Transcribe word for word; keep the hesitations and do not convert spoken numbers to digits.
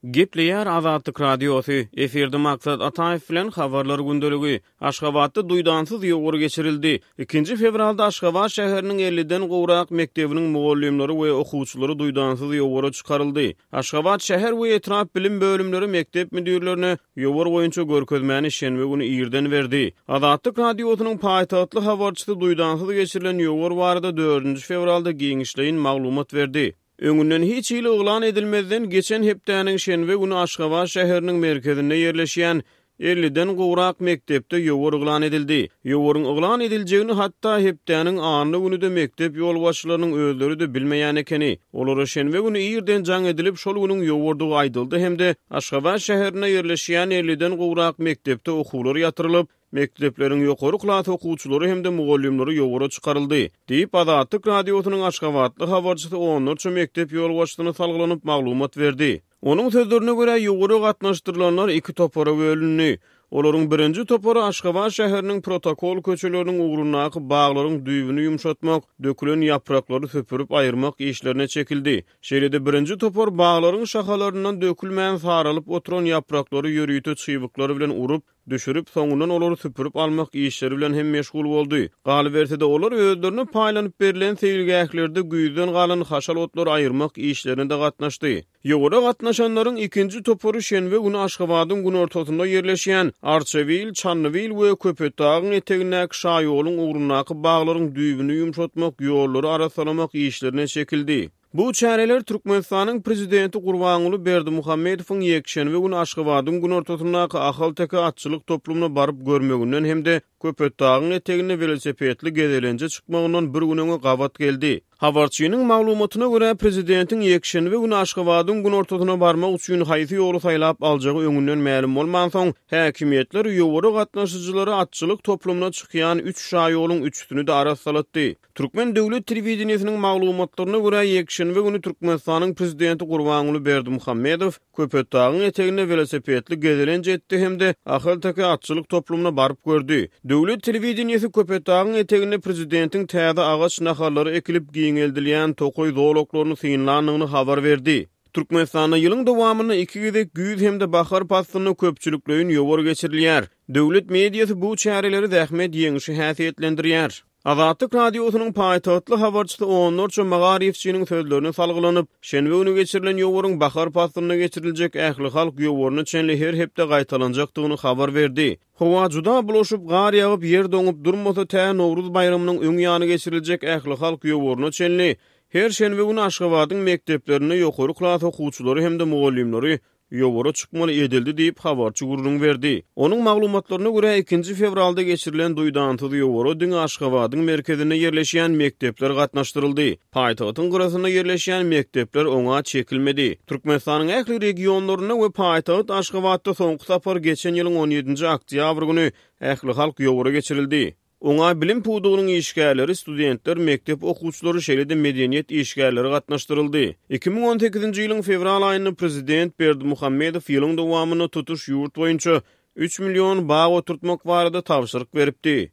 Gepleýär Azatlyk Radiosy, efirde Maksat Ataýew bilen Habarlar gündeligi. Aşgabatda duýdansyz ýowar geçirildi. Ikinji fewralda Aşgabat şäheriniň elliden gowrak mekdebiniň mugallymlary we okuwçylary duýdansyz ýowara çykaryldy. Aşgabat şäher we etrap bilim bölümleri mekdep müdirlerine ýowar boýunça görkezmäni şenbe güni irden berdi. Azatlyk Radiosynyň paýtagtly habarçysy duýdansyz geçirilen ýowar barada dördünji fewralda giňişleýin maglumat berdi. Öňünden hiç hili yglan edilmezden geçen hepdäniň şenbe güni Aşgabat şäheriniň merkezinde ýerleşýän elliden gowrak mekdepde ýowar yglan edildi. Ýowaryň yglan ediljegini hatda hepdäniň anna güni-de mekdep ýolbaşçylarynyň özleri-de bilmeýän ekeni. Olara şenbe güni irden jaň edilip, şol günüň ýowardygy aýdyldy hem-de Aşgabat şäherinde ýerleşýän elliden gowrak mekdepde okuwlar ýatyrylyp, mekdepleriň ýokary klas okuwçylary hem-de mugallymlary ýowara çykaryldy, diýip, Azatlyk Radiosynyň aşgabatly habarçysy onlarça mekdep ýolbaşçysyna salgylanyp maglumat berdi. Onuň sözlerine görä, ýowara gatnaşdyrylanlar iki topara bölündi. Olaryň birinji topary Aşgabat şäheriniň protokol köçeleriniň ugrundaky baglaryň düýbüni ýumşatmak, dökülen ýapraklary süpürip aýyrmak işlerine çekildi. Şeýle-de birinji topar baglaryň şahalaryndan dökülmän saralyp oturan ýapraklary ýörite çybyklar bilen urup, düşürip, soňundan olary süpürip almak işleri bilen hem meşgul boldy. Galyberse-de, olar özlerine paýlanyp berlen seýilgählerde güýzden galan haşal otlary aýyrmak işlerine-de gatnaşdy. Ýowara gatnaşanlaryň ikinji topary şenbe güni Aşgabadyň günortasynda ýerleşýän Arçabil, Çandybil we Köpetdagyň etegindäki şaýoluň ugrundaky baglaryň düýbüni ýumşatmak, ýollary arassalamak işlerine çekildi. Bu çäreler Türkmenistanyň Prezidenti Gurbanguly Berdimuhamedowyň ýekşenbe güni Aşgabadyň günortasyndaky Ahalteke atçylyk toplumyna baryp görmeginden hem-de Köpetdagyň eteginde welosipedli gezelenje çykmagyndan bir gün öňe gabat geldi. Habarçynyň maglumatyna görä, prezidentiň ýekşenbe güni Aşgabadyň günortasyna barmak üçin haýsy ýoly saýlap aljagy öňünden mälim bolmansoň, häkimiýetler ýowara gatnaşyjylary atçylyk toplumyna çykýan üç şaýoluň üçüsini-de arassalatdy. Türkmen döwlet telewideniýesiniň maglumatlaryna görä, ýekşenbe güni Türkmenistanyň prezidenti Gurbanguly Berdimuhamedow Köpetdagyň eteginde welosipedli gezelenç etdi hem-de Ahalteke atçylyk toplumyna baryp gördi. Döwlet telewideniýesi Köpetdagyň eteginde prezidentiň täze agaç nahallary ekilip giňeldilýän tokaý zolaklaryny synlandygyny habar berdi. Türkmenistanda ýylyň dowamynda iki gezek güýz hem-de bahar paslynda köpçülikleýin ýowar geçirilýär. Döwlet mediasy bu çäreleri zähmet ýeňşi häsiýetlendirýär. Azatlyk Radiosynyň paýtagtly habarçysy onlarça magaryfçynyň sözlerine salgylanyp, şenbe güni geçirilen ýowaryň bahar paslynda geçiriljek ählihalk ýowaryna çenli her hepde gaýtalanjakdygyny habar berdi. Howa juda bulaşyp, gar ýagyp, ýer doňup durmasa, tä Nowruz baýramynyň öň ýany geçiriljek ählihalk ýowaryna çenli her şenbe güni Aşgabadyň mekdeplerinde ýokary klas okuwçylary hem-de mugallymlary ýowara çykmaly edildi diýip, habarçy gürrüň berdi. Onuň maglumatlaryna görä, ikinji fewralda geçirilen duýdansyz ýowara diňe Aşgabadyň merkezinde ýerleşýän mekdepler gatnaşdyryldy. Paýtagtyň gyrasynda ýerleşýän mekdepler oňa çekilmedi. Türkmenistanyň ähli regionlarynda we paýtagt Aşgabatda soňky sapar geçen ýylyň on ýedinji oktýabr güni ählihalk ýowary geçirildi. Oňa bilim pudagynyň işgärleri, studentler, mekdep okuwçylary, şeýle-de medeniýet işgärleri gatnaşdyryldy. Iki müň on sekizinji ýylyň fewral aýynda prezident Berdimuhamedow ýylyň dowamynda tutuş ýurt boýunça üç million bag oturtmak barada tabşyryk beripdi.